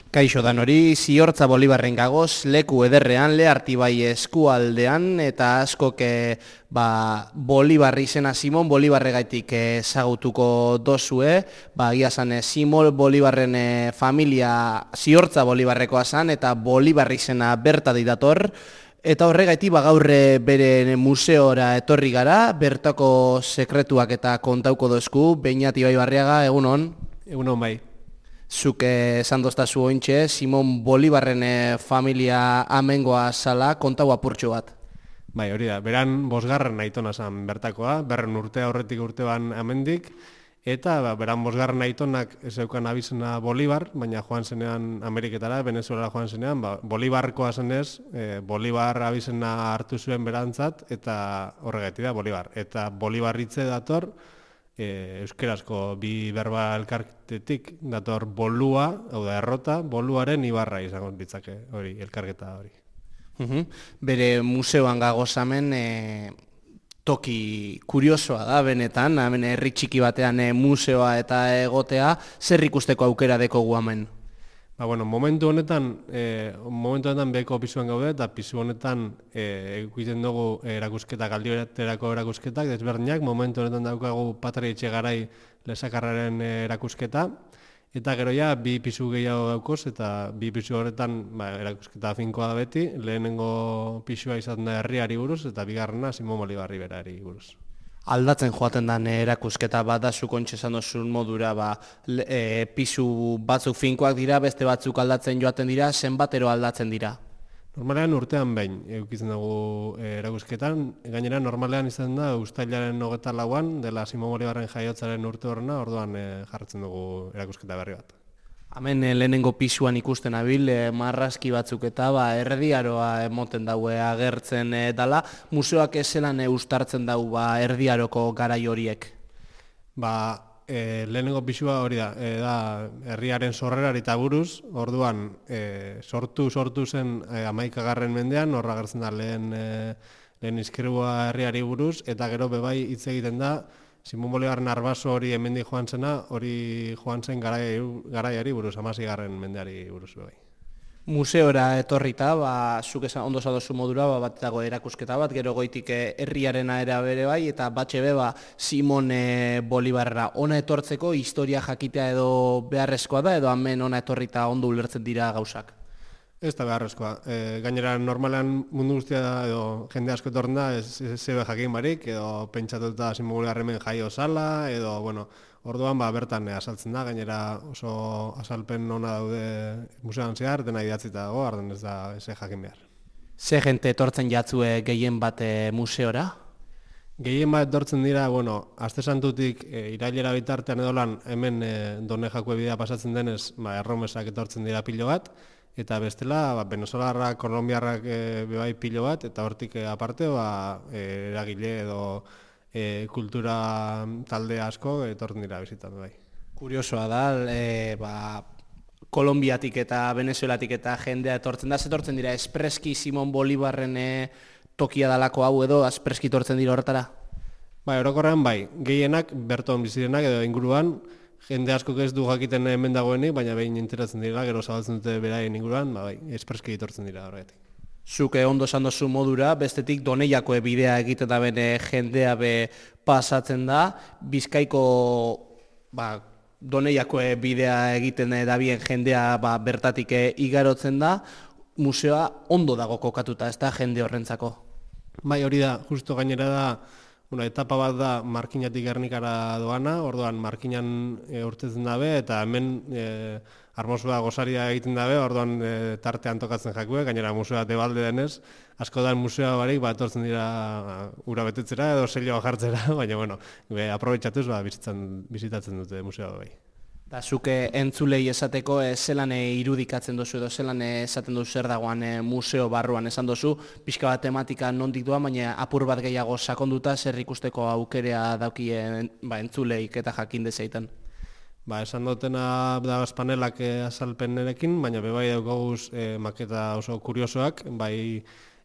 Kaixo danori, Ziortza Bolibarren gagoz, leku ederrean, Leartibai eskualdean, eta askok Bolibar izena Simon Bolibarregaitik ezagutuko dozue, giazan Simon Bolibarren familia Ziortza Bolibarrekoa zan, eta Bolibar izena bertatik dator, eta horregaiti gaur bere museora etorri gara, bertako sekretuak eta kontauko dozku, Beñat Ibaibarriaga, egunon? Egunon bai. Zuk esan doztazu ointxe, Simon Bolibarren familia amengoa zala, kontau apurtxo bat. Bai, hori da, beran bosgarren aitona zan bertakoa, berren urte aurretik urteban amendik, eta beran bosgarren aitonak zeukan abizena Bolibar, baina joan zenean Ameriketara, Venezuela joan zenean, Bolibarkoa zenez, Bolibar abizena hartu zuen berantzat, eta horregatik da Bolibar. Eta Bolibarritze dator, euskerazko bi berba elkartetik dator bolua, hau da errota, boluaren ibarra izango ditzake hori, elkarketa hori. Bere museoan gagozamen toki kuriosoa da benetan, hemen herri txiki batean museoa eta egotea, zer ikusteko aukera dekogu hemen? Momentu honetan beko pisuan gaude, eta pisu honetan egiten dugu erakusketak, aldioeterako erakusketak, desberdinak, momentu honetan daukagu Patria Etxegarai lesakarraren erakusketa, eta gero ja, bi pisu gehiago daukoz, eta bi pisu horretan erakusketa finkoa da beti, lehenengo pisua izan da herriari buruz, eta bigarrena Simon Bolibarri berari buruz. Aldatzen joaten den erakusketa bat da zukontxe esan dozun modura, pisu batzuk finkoak dira, beste batzuk aldatzen joaten dira, zenbatero aldatzen dira? Normalean urtean behin eukitzen dugu erakusketan, gainera normalean izan da uztailaren 24an, dela Simon Bolibarren jaiotzaren urte horrena, orduan jarratzen dugu erakusketa berri bat. Hemen lehenengo pisuan ikusten abil, marrazki batzuk eta erdiaroa emoten daue agertzen dala. Museoak ezelan ustartzen dau erdiaroko garai horiek? Lehenengo pisua hori da herriaren sorrerari eta buruz, orduan sortu zen 11. mendean, horra agertzen da lehen izkribua herriari buruz, eta gero bebai hitz egiten da, Simon Bolibarren arbaso hori hemendik joan zena, hori joan zen garaiari buruz, 16. mendeari buruz bai. Museora etorrita, zuk esan ondo zadozu modura, bat dago erakusketa bat, gero goitik herriarena era bere bai, eta batxe be, Simon Bolibarra ona etortzeko historia jakitea edo beharrezkoa da, edo hemen ona etorrita ondo ulertzen dira gauzak? Ez da beharrezkoa. Gainera, normalean mundu guztia da, edo jende asko etorren da, ez zebe jakin barik, edo pentsatuta Simon Bolibarren jaio zala, edo, orduan bertan azaltzen da, gainera oso azalpen ona daude museoan zehar, dena idatzita dago, arden ez da ez jakin behar. Ze jente etortzen jatzue gehien bat museora? Gehien bat etortzen dira, aste santutik irailera bitartean edo lan, hemen Done Jakue bidea pasatzen denez, erromesak etortzen dira pilo bat, eta bestela, venezolarrak, kolombiarrak bebai pilo bat, eta hortik aparte, eragile edo kultura talde asko etortzen dira bizitan bai. Kuriosoa da, Kolombiatik eta Venezuelatik eta jendea etortzen da, etortzen dira espreski Simon Bolibarren tokia dalako hau edo, espreski etortzen dira horretara? Orokorrean gehienak berton bizirenak edo inguruan, jende asko ez du jakiten hemen dagoenik, baina behin enteratzen dira, gero zabaltzen dute beraien inguruan, espreski etortzen dira horretik. Zuk ondo esan dozu modura, bestetik Doneiako bidea egiten da bene jendea pasatzen da, Bizkaiko Doneiako bidea egiten da bien jendea bertatik igarotzen da, museoa ondo dago kokatuta, ez da jende horrentzako? Hori da, justo gainera da, etapa bat da Markinatik Gernikara doana, orduan Markinan urtetzen dabe, eta hemen Armosua gosaria egiten dabe, orduan tartean tokatzen jakue, gainera museoa debalde denez, asko da museoa barik, etortzen dira ura betetzera edo selioa jartzera, baina, aprobetxatuz, bizitatzen dute museoa bai. Da, zuke entzulei esateko zelan irudikatzen dozu edo zelan esaten dozu zer dagoan museo barruan esan dozu, pixka bat tematika nondik doa, baina apur bat gehiago sakonduta zer ikusteko aukerea daukien entzuleik eta jakin dezeiten. Esan dutena da panelak azalpenerekin, baina bebai daukaguz maketa oso kuriosoak,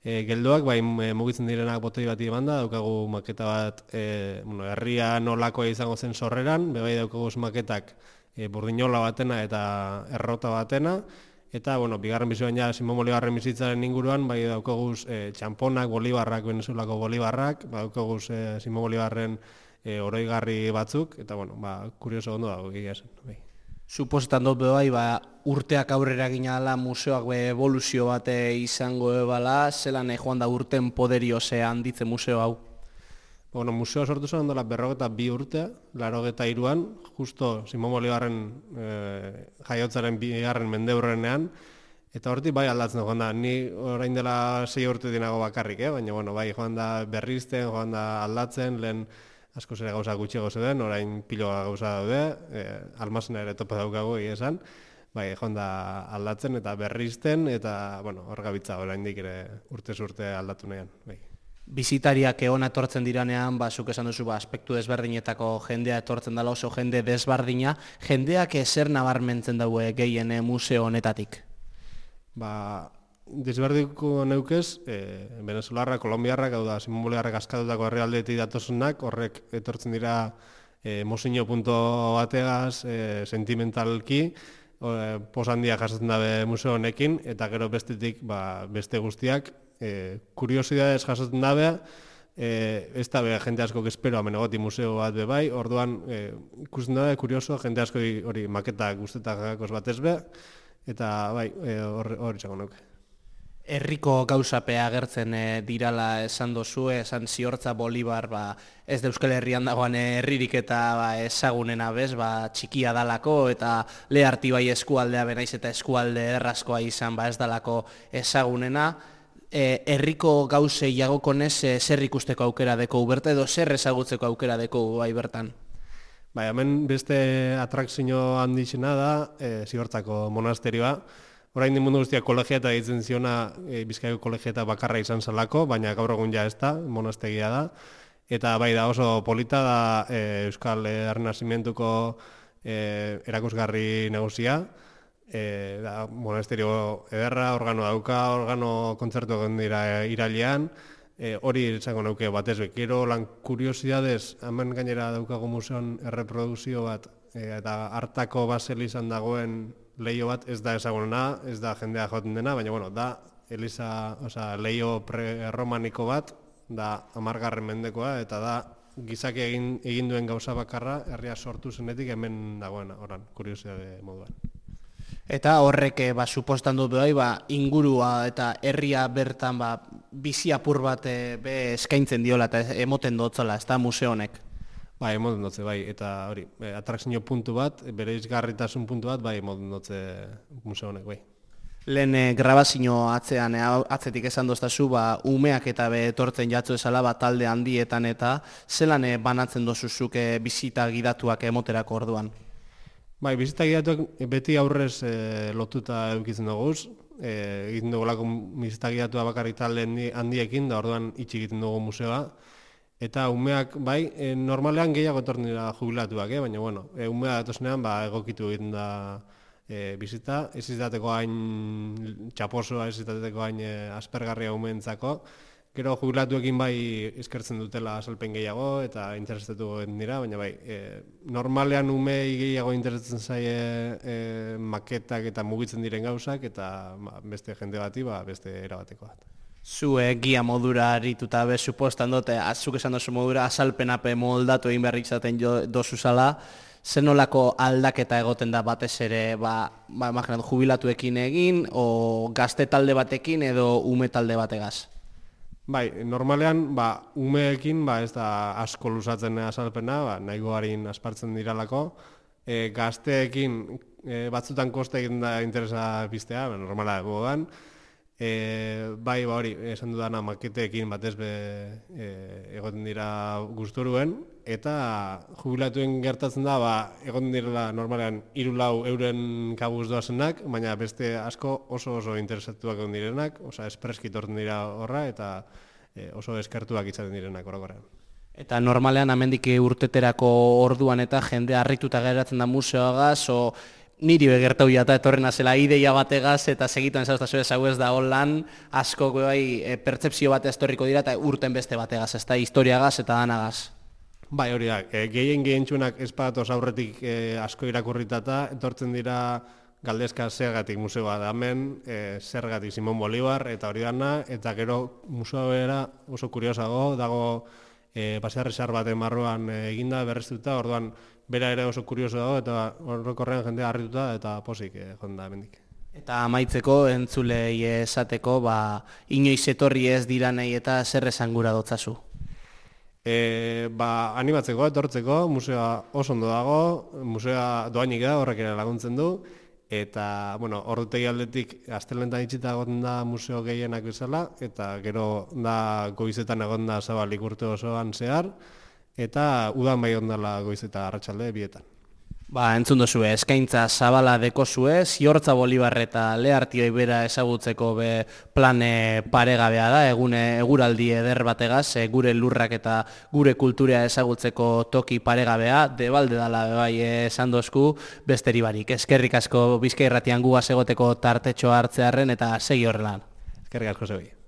geldoak, mugitzen direnak botei bat emanda, daukagu maketa bat herria nolakoa izango zen sorreran, bebai daukaguz maketak burdinola batena eta errota batena, Eta, bigarren bizuan ja Simon Bolibarren bizitzaren inguruan, bai daukaguz txamponak, bolibarrak, Venezuelako bolibarrak, daukaguz Simon Bolibarren oroigarri batzuk, eta, kurioso ondo dago egia esan. Bai. Suposetan dut bai, urteak aurrera ginala museoak evoluzio bate izango ebala, zelan joan da urten poderio handitzen museo hau? Museo sortu zen ondola 42 urte, 83an, justo Simon Bolibarren jaiotzaren bigarren mendeurrenean, eta hortik bai aldatzen joan da. Ni orain dela 6 urte dinago bakarrik, baina bai joan da berrizten, joan da aldatzen, lehen asko zere gauza gutxiago zeuden, orain piloa gauza daude, almazena ere topa daukagu esan, bai joan da aldatzen eta berrizten, eta hor gabitza orain dik ere urtez urte aldatu nahian. Bai. Bizitariak hona etortzen diranean, zuk esan duzu, aspektu desberdinetako jendea etortzen dela oso jende desberdina, jendeak zer nabarmentzen daue gehien museo honetatik? Desberdiko neukez, Venezuelarra, Kolombiarrak, hau da, Simon Bolibarrek askatutako herrialdetik datozunak, horrek etortzen dira mozino punto bategaz, sentimentalki, posandia jasatzen dabe museo honekin, eta gero bestetik beste guztiak, kuriosidades jasatzen dabe, ez dabe jente asko espero hemen egoti museo bat be bai, orduan ikusten dabe, kurioso, jente asko hori maketak guztetak batez be, eta bai, hori txako nuke. Herriko gauzapea agertzen dirala esan dozu, esan Ziortza Bolibar ez da Euskal Herrian dagoen herririk eta ezagunena bez, txikia dalako eta leharti bai eskualdea benaiz eta eskualde errazkoa izan ez dalako ezagunena. Herriko gauzei jagokonez zer ikusteko aukera deko berta edo zer ezagutzeko aukera deko bai bertan? Hemen beste atrakzio handixena da Ziortzako monasterioa. Orain mundu guztiak kolegiata ditzen ziona Bizkaiko kolegiata bakarra izan zelako, baina gaur egun ja ez da, monastegia da. Eta bai da oso polita da Euskal Errenazimentuko erakusgarri negozia. Monasterio ederra, organo dauka, organo kontzertu egon dira irailean. Hori izango nuke batez bekero, lan kuriosidades, hemen gainera daukago museon erreprodukzio bat, eta hartako basel izan dagoen leio bat ez da ezagunena, ez da jendea joaten dena, baina da leio pre-romaniko bat, da 10. mendekoa, eta da gizaki egin duen gauza bakarra, herria sortu zenetik hemen dagoena, oran, kuriosidade moduan. Eta horrek supostan dut bai, ingurua eta herria bertan bizi apur bat eskaintzen diola eta emoten dotzala, ez da museo honek? Emoten dotze, eta hori, atrakzio puntu bat, bere izgarritasun puntu bat, emoten dotze museo honek, Lehen grabazio atzetik esan doztazu, umeak eta etortzen jatzu esala, talde handietan eta zelan banatzen dozuzuk bizita gidatuak emoterako orduan? Bizita gidatuak beti aurrez lotuta eukitzen duguz, egiten dugulako bizita gidatua bakarrik talde handiekin, da orduan itxi egiten dugu museoa. Eta umeak, normalean gehiago etortzen dira jubilatuak, baina, umea datozenean egokitu egiten da bizita. Ez izateko hain txaposoa, ez izateko hain aspergarria umeentzako. Gero jubilatuekin eskertzen dutela azalpen gehiago eta interesatu egiten dira, baina normalean umei gehiago interesatzen zaie maketak eta mugitzen diren gauzak eta beste jende bati, beste erabateko bat. Zue gia modura harituta supostan dute, azuk esan dozu modura azalpenape moldatu egin behar izaten dozuzala, zenolako aldaketa egoten da batez ere, jubilatuekin egin, o gazte talde batekin edo ume talde bategaz? Normalean, umeekin ez da asko luzatzen azalpena, nahiko harin aspartzen diralako, gazteekin batzutan koste egin da interesa biztea, normala egoan, hori, esan dudana maketeekin batez egoten dira gusturuen, eta jubilatuen gertatzen da, egoten dira normalean 3-4 euren kabuz doazenak, baina beste asko oso interesatuak egon direnak, espreski torten dira horra, eta oso eskertuak izaten direnak orokorrean. Eta normalean amendik urteterako orduan eta jende harrituta geratzen da museoagaz, niri begertau jata etorrena zela ideia bategaz eta segituen zauztazu hau ez da holan asko pertsepzio bat estorriko dira eta urten beste bategaz, ez da historiagaz eta danagaz. Hori da, gehien txunak espadatoz aurretik asko irakurritata, etortzen dira galdezka zergatik museoa da hemen, zergatik Simon Bolivar, eta hori dana, eta gero museoa bera oso kuriosago, dago pasearrizar baten marruan eginda, berreztuta, orduan bera ere oso kurioso dago, eta horrekorrean jendea harrituta, eta posik jonda hemendik. Eta amaitzeko, entzulei esateko, inoiz etorri ez diranei eta zer esan gura dotzazu? Animatzeko, etortzeko, museoa oso ondo dago, museoa doainik da, horrek ere laguntzen du, eta, ordutegi aldetik astelenetan itxita egon da museo gehienak bezala, eta gero da goizetan egon da zabalik urte osoan zehar, eta udan bai ondala goizeta arratsalde bietan. Entzun duzue, eskaintza zabala dekozue, Ziortza Bolivar eta Leartioi bera ezagutzeko plane paregabea da, eguraldi eder bategaz, gure lurrak eta gure kulturea ezagutzeko toki paregabea, debalde dala bai esan dozku, besteri barik. Eskerrik asko Bizkai Irratian gugaz egoteko tartetxo hartzearren eta segi horrelan. Eskerrik asko zebi.